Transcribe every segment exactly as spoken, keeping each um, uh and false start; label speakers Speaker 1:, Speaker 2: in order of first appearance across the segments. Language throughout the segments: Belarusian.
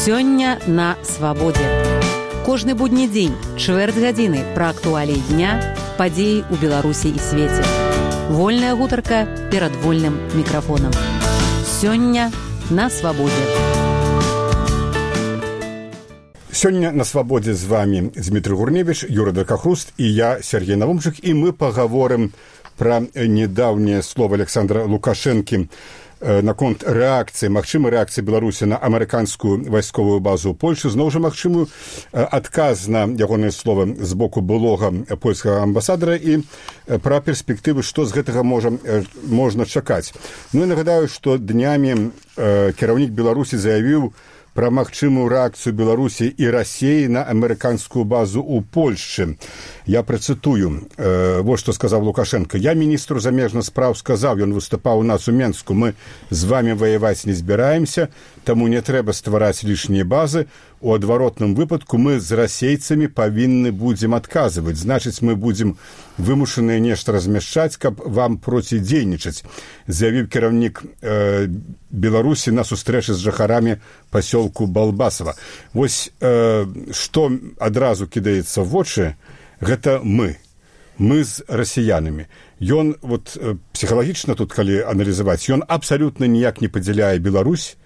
Speaker 1: Сёння на свабодзе. Кожны будні дзень, чвэрць гадзіны пра актуаліі дня, падзеі ў Беларусі і свеце. Вольная гутарка перад вольным мікрафонам. Сёння на свабодзе.
Speaker 2: Сёння на свабодзе з вами Дмітрий Гурневич, Юра Дракахруст і я, Сергей Навумчык, і мы пагаворым пра недаўнее слово Александра Лукашэнкі наконт рэакцыі, магчымай рэакцыі Беларусі на амерыканскую вайсковую базу ў Польшы, зноў жа магчымую адказ на ягонае слова з боку былога польскага амбасадара і пра перспектывы, што з гэтага можа, можна чакаць. Ну і нагадаю, што днямі кіраўнік Беларусі заявіў пра магчымую рэакцыю Беларусі і Расіі на амерыканскую базу ў Польшчы. Я працытую, э, вот што сказаў Лукашенко. Я міністру замежных спраў сказаў, ён выступаў у нас у Менску, мы з вамі ваяваць не збіраемся, таму не трэба ствараць лішнія базы. У адваротным выпадку мы з расейцамі павінны будзем адказваць. Значыць, мы будзем вымушаныя нешта размяшчаць, каб вам процідзейнічаць, заявіў кіраўнік э, Беларусі на сустрэчы з жыхарамі пасёлку Балбасава. Вось э, што адразу кідаецца ў вочы, гэта мы. Мы з расіянамі. Ён, вот, псіхалагічна тут, калі аналізаваць, ён абсалютна ніяк не падзяляе Беларусь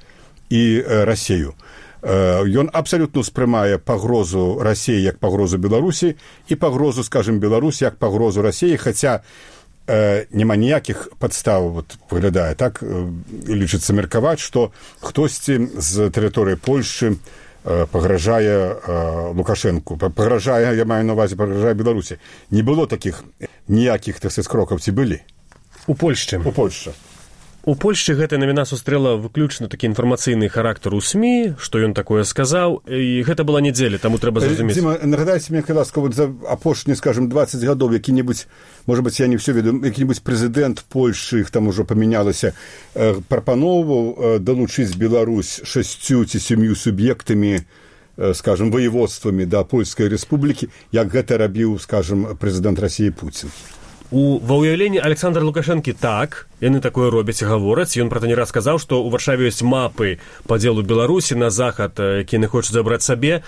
Speaker 2: і э, Расію. Ён абсалютна ўспрымае пагрозу Расіі як пагрозу Беларусі і пагрозу, скажем, Беларусі як пагрозу Расіі, хаця э, няма ніякіх падстаў, вот, выглядае так, э, лічыцца меркаваць, што хтосьці з тэрыторыі Польшчы э, пагражае э, Лукашэнку, пагражае, я маю на ўвазе, пагражае Беларусі. Не было такіх ніякіх, так сказаць, крокаў, ці былі?
Speaker 3: У Польшчы.
Speaker 2: У Польшчы.
Speaker 3: У Польшчы гэтая навіна сустрэла выключна такі інфармацыйны характар у СМІ, што ён такое сказаў, і гэта была нядзеля, таму трэба зразумець.
Speaker 2: Дзіма, нагадайце мне, калі ласка, вот за апошнія, скажем, двадцать гадоў які-небудзь, можа быць, я не ўсё ведаю, які-небудзь прэзідэнт Польшчы, іх там ужо памянялася, э, прапаноўваў э, далучыць Беларусь шасцю ці сям'ю суб'ектамі, э, скажем, воеводствамі да Польскай рэспублікі, як гэта рабіў, скажем, прэзідэнт Расіі Пуцін.
Speaker 3: У ва ўяўленні Александра Лукашэнкі так, яны такое робяць і гавораць. Ён пра то не раз сказаў, што ў Варшаве ёсць мапы падзелу Беларусі на захад, які яны хочуць забраць сабе.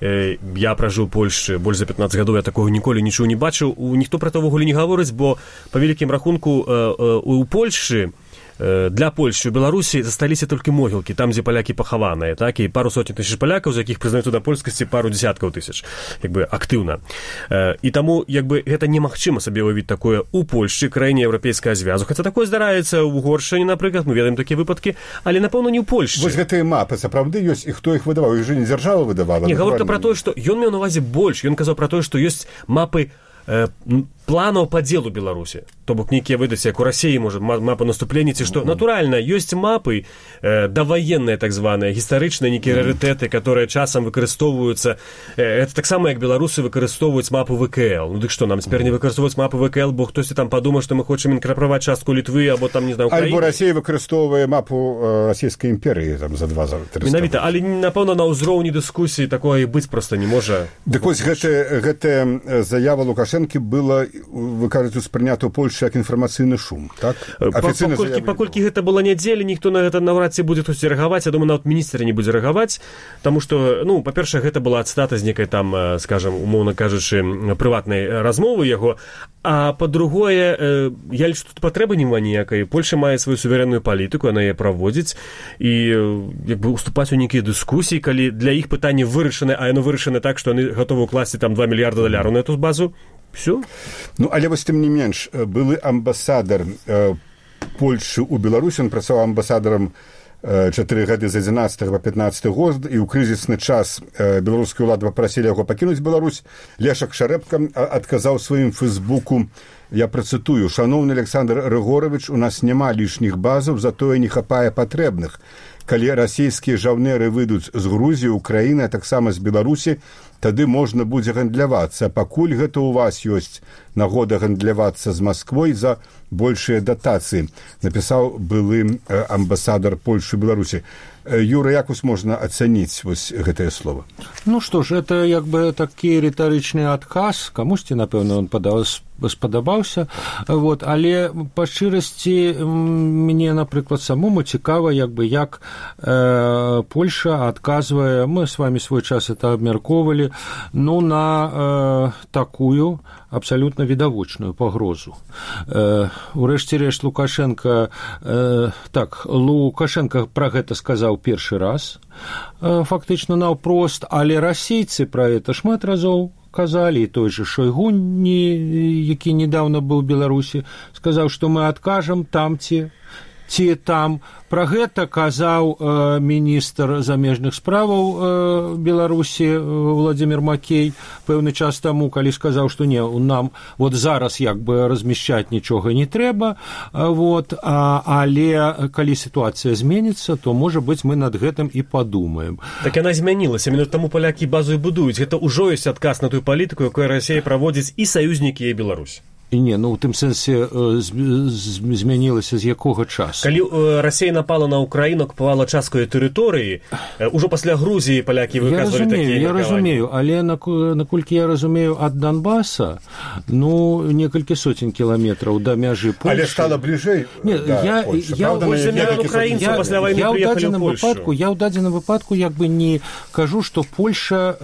Speaker 3: Я пражыў у Польшчы больш за пятнаццаць гадоў, я такога ніколі нічого не бачыў. Ніхто пра то ўвогуле не гаворыць, бо па вялікім рахунку у Польшчы для Польшчы у Беларусі засталіся толькі могілкі, там, дзе палякі пахаваныя, так, і пару сотень тысяч палякаў, з якіх прызнаюць да польскасці пару дзясяткаў тысяч, як бы актыўна. І таму, як бы, гэта немагчыма сабе ўявіць такое у Польшчы, краіне еўрапейскага звязу. Хаця такое здараецца ў Угоршчыне, напрыклад, мы ведаем такія выпадкі, але, напэўна, не ў Польшчы.
Speaker 2: Вось гэтыя мапы сапраўды ёсць, і хто іх выдаваў? Іх жа не дзяржава выдавала.
Speaker 3: Не, гаворка пра тое, што ён меў на ўвазе больш, ён казаў пра тое, што ёсць мапы э, планаў падзелу Беларусі. То бок нейкія выдаць, як у Расіі, можа, мапа наступлення, ці што. Натуральна, ёсць мапы э, даваенныя, так званыя, гістарычныя нейкія рарытэты, которые часам выкарыстоўваюцца. Э, это таксама, як беларусы выкарыстоўваюць мапу ВКЛ. Ну дык што, нам цяпер не выкарыстоўваць мапу ВКЛ, бо хтосьці там падумаў, што мы хочам інкарпараваць частку Літвы, або там, не знаю, Украіны.
Speaker 2: Альбо Расія выкарыстоўвае мапу э, расійскай імперыі там за два за тры.
Speaker 3: Менавіта, але, напэўна, на ўзроўні дыскусіі такое і быць проста не можа.
Speaker 2: Дык вось гэтая, гэтая заява Лукашэнкі была, вы кажаце, успрынята ў Польшчы як інфармацыйны шум, так?
Speaker 3: Афіцыйна паколькі, паколькі гэта была нядзеля, ніхто на гэта наўрад ці будзе хтось рэагаваць, я думаю, нават міністр не будзе рэагаваць, таму што, ну, па-першае, гэта была цытата з некай там, скажам, умоўна кажучы, прыватнай размовы яго, а па-другое, я лічу, тут патрэбы няма ніякай. Польша мае сваю суверэнную палітыку, яна яе праводзіць, і як бы уступаць у нейкія дыскусіі, калі для іх пытанне вырашаны, а яно вырашана так, што яны гатовы ўкласці там два мільярда даляраў на эту базу. Все?
Speaker 2: Ну, але вось тым не менш, былы амбасадар э, Польшчы ў Беларусі, ён працаваў амбасадарам э, чатыры гады з адзінаццатага па пятнаццаты год, і ў крызісны час э, беларускія ўлады папрасілі яго пакінуць Беларусь. Лешак Шарэбка адказаў сваім фэйсбуку, я працытую: «Шаноўны Александр Рыгорович, у нас няма лішніх базаў, затое не хапае патрэбных. Калі расійскія жаўнеры выйдуць з Грузіі, Украіны, а таксама з Беларусі, тады можна будзе гандлявацца. Пакуль гэта ў вас ёсць нагода гандлявацца з Масквой за большыя датацыі, напісаў былы амбасадар Польшы і Беларусі. Юра, як вас можна ацаніць вось гэтае слово?
Speaker 4: Ну што ж, это як бы такі рытарычны адказ, камусьці, напэўна, он спадабаўся, вот, але па шчырасці мне, напрыклад, самому цікава, як бы, як э, Польша адказвае, мы с вами свой час это абмяркоўвалі, ну, на э, такую абсалютна відавочную пагрозу. Э, урэшце рэшт Лукашенко, э, так, Лукашенко пра гэта сказаў першы раз, фактычна наўпрост, але расейцы пра гэта шмат разоў казалі, і той же Шойгу, які недавно быў у Беларусі, сказаў, што мы адкажам там ці ці там. Пра гэта казаў э, міністр замежных справаў э, Беларусі э, Владзімір Макей пэўны час таму, калі сказаў, што не, нам вот зараз як бы размяшчаць нічога не трэба, э, вот, а, але калі сітуацыя зменіцца, то, можа быць, мы над гэтым і падумаем.
Speaker 3: Так яна змянілася, менавіта таму палякі базу і будуюць. Гэта ўжо ёсць адказ на тую палітыку, якую Расія праводзіць і саюзнікі, і Беларусь.
Speaker 4: І не, ну, у тым сэнсе змянілася з якога часу?
Speaker 3: Калі Расія напала на Украіну, акупавала часткаю тэрыторыі, ужо пасля Грузіі палякі выказвалі такія меркаванні.
Speaker 4: Я разумею, але наколькі я разумею, ад Донбаса, ну, некалькі сотень кіламетраў да мяжы Польшы.
Speaker 2: Але стала бліжэй да Польшы.
Speaker 4: Я ў дадзеным выпадку як бы не кажу, што Польша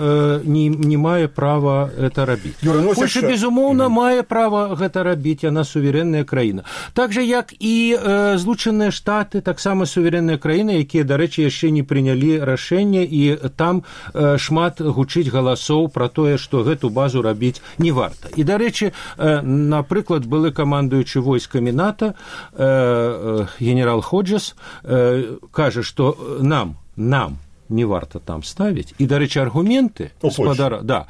Speaker 4: не мае права это рабіць. Польша, безумоўна, мае права гэта рабіць, яна суверэнная краіна. Так жа, як і э, Злучаныя Штаты, таксама суверэнная краіна, якія, дарэчы, яшчэ не прынялі рашэнне, і там э, шмат гучыць галасоў пра тое, што гэту базу рабіць не варта. І, дарэчы, э, напрыклад, былы камандуючы войскамі НАТО, э, э, генерал Ходжес, э, кажа, што нам, нам, не варта там ставіць. І, дарэчы, аргументы спадара, да,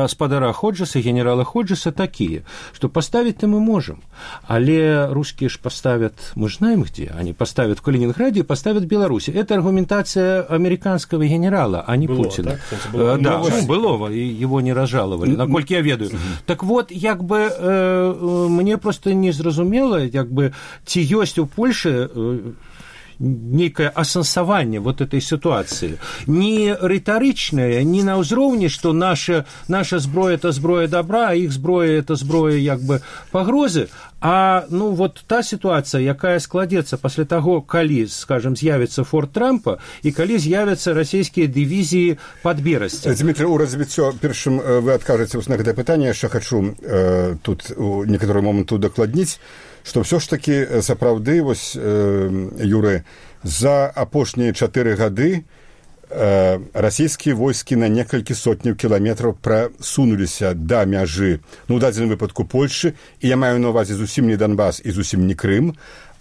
Speaker 4: спадара Ходжеса, генерала Ходжеса такія, што паставіць-то мы можам, але рускія ж паставят, мы ж знаем где, они поставят в Калининграде и поставят в Беларуси. Это аргументация американского генерала, а не было, Путина. Так? Было, да, ну, Былова, и его не разжаловали, наколькі я ведаю. Так вот, як бы э, мне просто не зразумела, як бы ці ёсць у Польшы э, некое асэнсаванне вот этой ситуации. Не рытарычнае, не на ўзроўні, што наша, наша зброя – это зброя добра, а іх зброя – это зброя як бы пагрозы, а ну вот та ситуация, якая складецца пасля таго, калі, скажем, з'явіцца форт Трампа і калі з'явяцца расійскія дывізіі пад Берасцем.
Speaker 2: Дмітрий, у развіццё першым вы адкажаце на гэта пытанне, яшчэ хачу э, тут у некаторы момант удакладніць, што ўсё ж такі сапраўды вось э, Юры, за апошнія чатыры гады э, расійскія войскі на некалькі сотняў кіламетраў прасунуліся да мяжы, ну, у дадзеным выпадку Польшы, і я маю на ўвазе зусім не Донбас і зусім не Крым,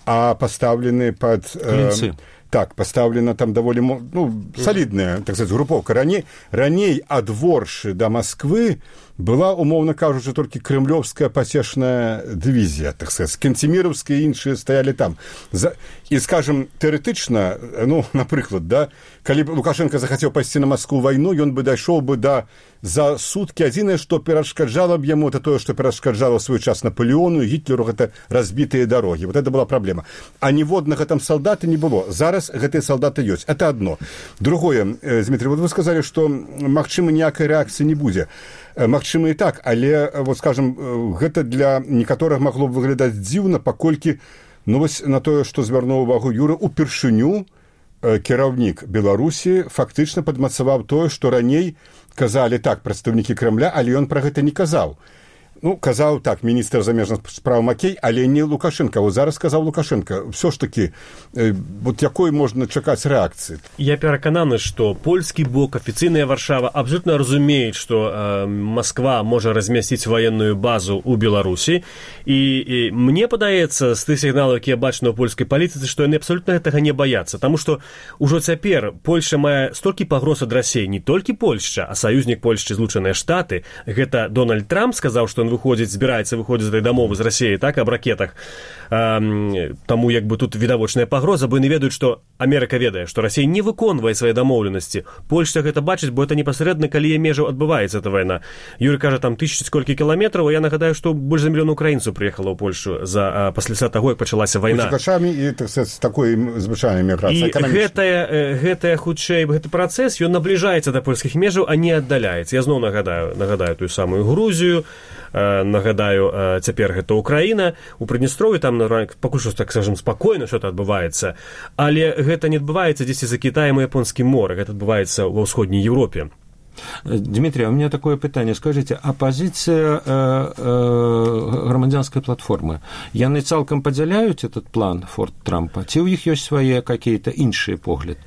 Speaker 2: а пастаўлены пад... Э, так, пастаўлена там даволі, ну, салідная, так сказаць, групоўка. Раней, раней ад Воршы да Масквы была, умоўна кажучы, толькі крымлёвская пасечная дывізія, так сказаць, кенцеміраўскія і іншыя стаялі там. За... І, скажем, тэарэтычна, ну, напрыклад, да, калі б Лукашенко захацеў пайсці на Маскву вайну, ён бы дайшоў бы да за суткі. Адзінае, што перашкаджала б яму, это тое, што перашкаджала свой час Наполеону і Гітлеру, гэта разбітыя дарогі. Вот это была праблема. А ніводнага там салдата не было. Зараз гэтыя салдаты ёсць. Это одно. Другое, Дмитрий, вот вы сказали, што, магчыма, ніякай рэакцыі не будзе. Магчыма і так, але, вот, скажем, гэта для некаторых магло б выглядаць дзіўна, паколькі, ну, вось на тое, што звярнуў увагу Юра, упершыню кіраўнік Беларусі фактычна падмацаваў тое, што раней казалі так прадстаўнікі Крамля, але ён пра гэта не казаў. Ну, казаў так міністр замежных справ Макей, але не Лукашенко. Вот зараз сказаў Лукашенко. Все ж таки, э, вот якой можна чакаць рэакцыі?
Speaker 3: Я перакананы, што польскі бок, афіцыйная Варшава абсолютно разумеюць, што э, Москва можа размясціць военную базу ў Беларусі. І, і мне падаецца, з тых сігналаў, якія бачны ў польскай палітыцы, што яны абсолютно гэтага не баяцца. Таму што ўжо цяпер Польша мае столькі пагроз ад Расіі, не толькі Польшча, а саюзнік Польшчы, Злучаныя Штаты. Гэта Дональд Трамп сказаў, што ён выходзіць, збіраецца выходзіць з этой дамовы з Расіяй, так, аб ракетах. Таму як бы тут відавочная пагроза, бо яны ведаюць, што Амерыка ведае, што Расія не выконвае свае дамоўленасці. Польшча гэта бачыць, бо это непасрэдна, калі межаў адбываецца эта вайна. Юрый кажа, там тысячу сколькі кіламетраў, а я нагадаю, што больш за мільён украінцаў прыехала ў Польшу за пасля таго, як пачалася вайна.
Speaker 2: З і так, з такой звычайнай міграцыяй эканамічнай. І гэтая,
Speaker 3: гэтая хутчэй гэты працэс, ён набліжаецца да польскіх межаў, а не аддаляецца. Я зноў нагадаю, нагадаю тую самую Грузію, нагадаю, цяпер гэта Украіна, у Прыднестров'і там пакуль што, так скажем, спакойна что-то адбываецца, але гэта не адбываецца дзесьці за Кітаем і Японскім морем, гэта адбываецца ва ўсходняй Еўропе.
Speaker 4: Дмитрий, а у меня такое питание. Скажите, а позиция э, э, громадянской платформы, яны цалкам падзяляюць этот план Форт Трампа? Ці ў іх ёсць свае какие-то іншыя погляды?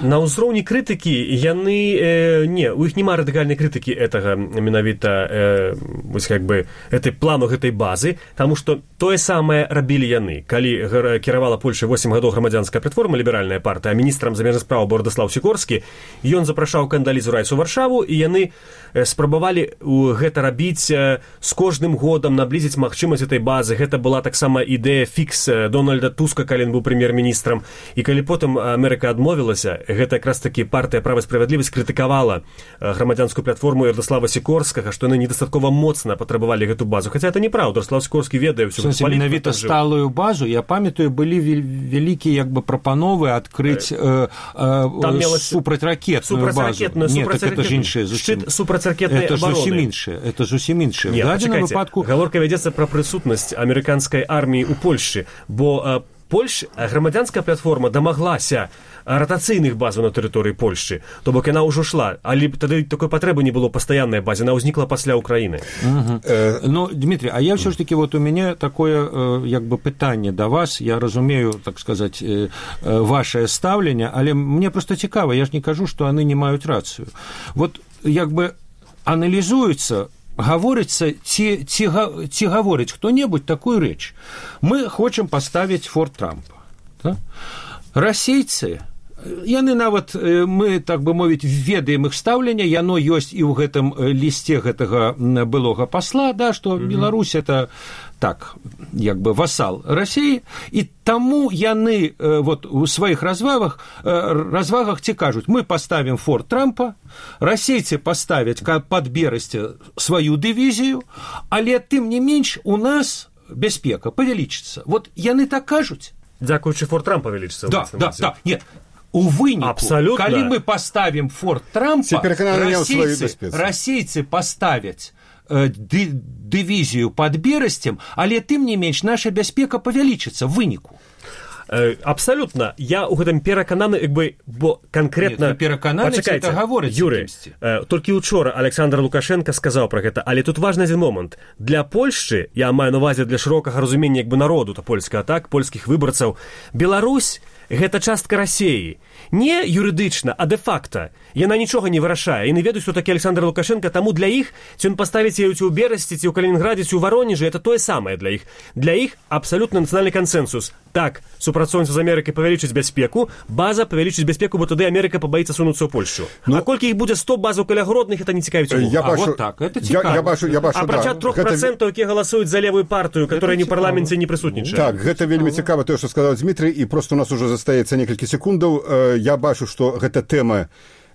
Speaker 3: На ўзроўні крытыкі яны э, не, у іх няма радыкальнай крытыкі гэтага менавіта э, вось как бы этой плану гэтай базы, таму што тое самае рабілі яны, калі кіравала Польшай восем гадоў грамадзянская платформа, ліберальная партыя, а міністрам замежных спраў Владислав Сікорскі, ён запрашаў Кандалізу Райс у Варшаву, і яны спрабавалі гэта рабіць з кожным годам, наблізіць магчымасць этой базы. Гэта была таксама ідэя фікс Дональда Туска, калі ён быў прэм'ер-міністрам, і калі потым Амерыка адмовілася, гэта якраз таки партыя «Права і справядлівасць» крытыкавала грамадзянскую платформу Владислава Сікорскага, што яны недастаткова моцна патрабавалі гэту базу. Хаця это неправда, Владислав Сікорскі ведае ўсю
Speaker 4: палітыку. Менавіта сталую базу, я памятаю, былі вялікія як бы прапановы адкрыць э, э, супрацьракетную базу.
Speaker 3: Нет, так это ж іншае зусім. Шчыт супрацьракетнай
Speaker 4: абароны. Это зусім іншае, это зусім іншае.
Speaker 3: Нет, пачакайце, выпадку... гаворка вядзецца пра прысутнасць амерыканскай арміі ў Польшчы, бо Польш, грамадзянская платформа дамаглася ратацыйных базаў на тэрыторыі Польшчы, то бок яна ўжо шла, але тады такой патрэбы не было пастаяннай базе, она ўзнікла пасля Украіны.
Speaker 4: Угу. Э... Ну, Дмитрий, а я все ж таки, вот у меня такое э, як бы пытанне да вас, я разумею, так сказать, э, э, ваше стаўленне, але мне просто цікава, я ж не кажу, што яны не маюць рацыю. Вот як бы аналізуецца, гаворыцца, ці, ці, ці гаворыць хто-небудзь такую рэч. Мы хочам паставіць Форт Трампа. Да? Расейцы, яны нават, мы, так бы мовіць, ведаем іх стаўленне, яно ёсць і ў гэтым лісце гэтага былога пасла, да, што mm-hmm. Беларусь это так, як бы васал Расіі, і таму яны вот у сваіх развагах, развагах ці кажуць, мы паставім Форт Трампа, расейцы паставяць пад Берасці сваю дывізію, але тым не менш у нас бяспека павялічыцца. Вот яны так кажуць.
Speaker 3: Дзякуючы Форт Трампа павялічыцца.
Speaker 4: Да, да, да, нет. У выніку,
Speaker 3: абсолютно.
Speaker 4: Калі мы паставім Форт Трампа, расейцы, расейцы паставяць э, ды, дывізію пад Берасцем, але тым не менш наша бяспека павялічыцца в выніку.
Speaker 3: Э, абсолютно. Я ў гэтым перакананы, як бы, бо канкрэтна...
Speaker 4: Перакананы, это гаворыць.
Speaker 3: Юры, э, толькі учора Александр Лукашенко сказаў пра гэта, але тут важны адзін момант. Для Польшчы, я маю на увазе для шырокага разумення, як бы, народу, то польскага, так, польскіх выбарцаў, Беларусь гэта частка Расіі. Не юрыдычна, а дэ-факта. Яна нічога не вырашае. Яны ведаюць, што такі Александр Лукашенко, таму для іх, ці ён паставіць яе ці ў Берасці, ці ў Калінінградзе, ці ў Варонежы, это тое самае для іх. Для іх абсалютна нацыянальны кансэнсус. Так, супрацоўніцтва з Амерыкай павялічыць бяспеку, база павялічыць бяспеку, бо тады Амерыка пабаіцца сунуцца ў Польшчу. Ну, а колькі іх будзе сто базаў каля Гродных, это не цікавіць увогуле.
Speaker 4: А вот так, это цікава.
Speaker 2: Я, я бачу, я бачу,
Speaker 3: апрача трох працэнтаў, якія галасуюць за левую партыю, которая не ў парламенце не прысутнічае.
Speaker 2: Так, гэта вельмі цікава тое, што сказаў Дмітрый, і просто у нас уже застаецца некалькі секундаў. Я бачу, што гэта тэма,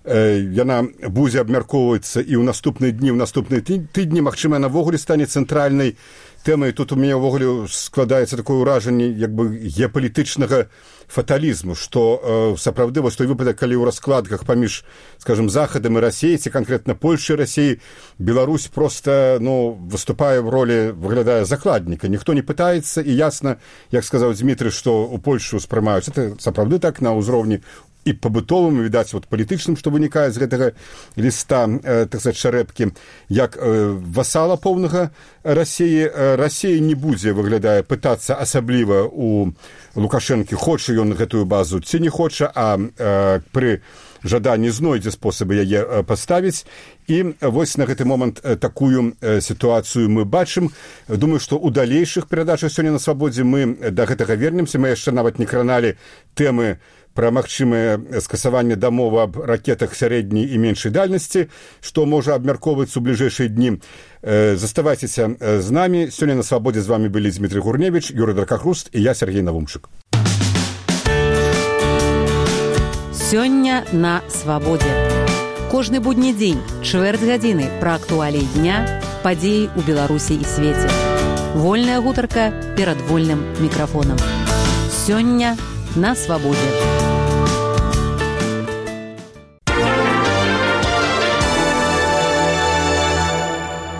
Speaker 2: яна будзе абмяркоўвацца і ў наступныя дні, ў наступныя тыдні, магчыма, навогуле стане цэнтральнай тэмай. Тут у мяне ўвогуле складаецца такое ўражанне як бы геапалітычнага фаталізму, што э, сапраўды вось той выпадак, калі ў раскладках паміж, скажем, Захадам і Расіяй, ці канкрэтна Польшчай і Расіяй, Беларусь проста, ну, выступае в ролі, выглядае закладніка. Ніхто не пытаецца, і ясна, як сказаў Дмітрый, што ў Польшчу спрымаюць. Это сапраўды так на ўзроўні і пабытовым, відаць, вот палітычным, што вынікае з гэтага ліста, э, так сказаць, шарэпкі, як э, васала поўнага Расіі. Э, Расія не будзе, выглядае, пытацца асабліва у Лукашэнкі, хоча ён гэтую базу ці не хоча, а э, пры жаданні знойдзе спосабы яе э, паставіць. І вось на гэты момант э, такую э, сітуацыю мы бачым. Думаю, што ў далейшых перадачах сёння на свабодзе мы да гэтага вернемся. Мы яшчэ нават не краналі тэмы пра магчымае скасаванне дамовы аб ракетах сярэдняй і меншай дальнасці, што можа абмяркоўвацца ў бліжэйшыя дні. Заставайцеся з намі. Сёння на Свабодзе з вами былі Дмітрий Гурневич, Юрий Дракахруст і я, Сергей Навумчык.
Speaker 1: Сёння на Свабодзе. Кожны будні дзень, чвэрць гадзіны пра актуаліі дня, падзеі ў Беларусі і свеце. Вольная гутарка перад вольным мікрафонам. Сёння на Свабодзе.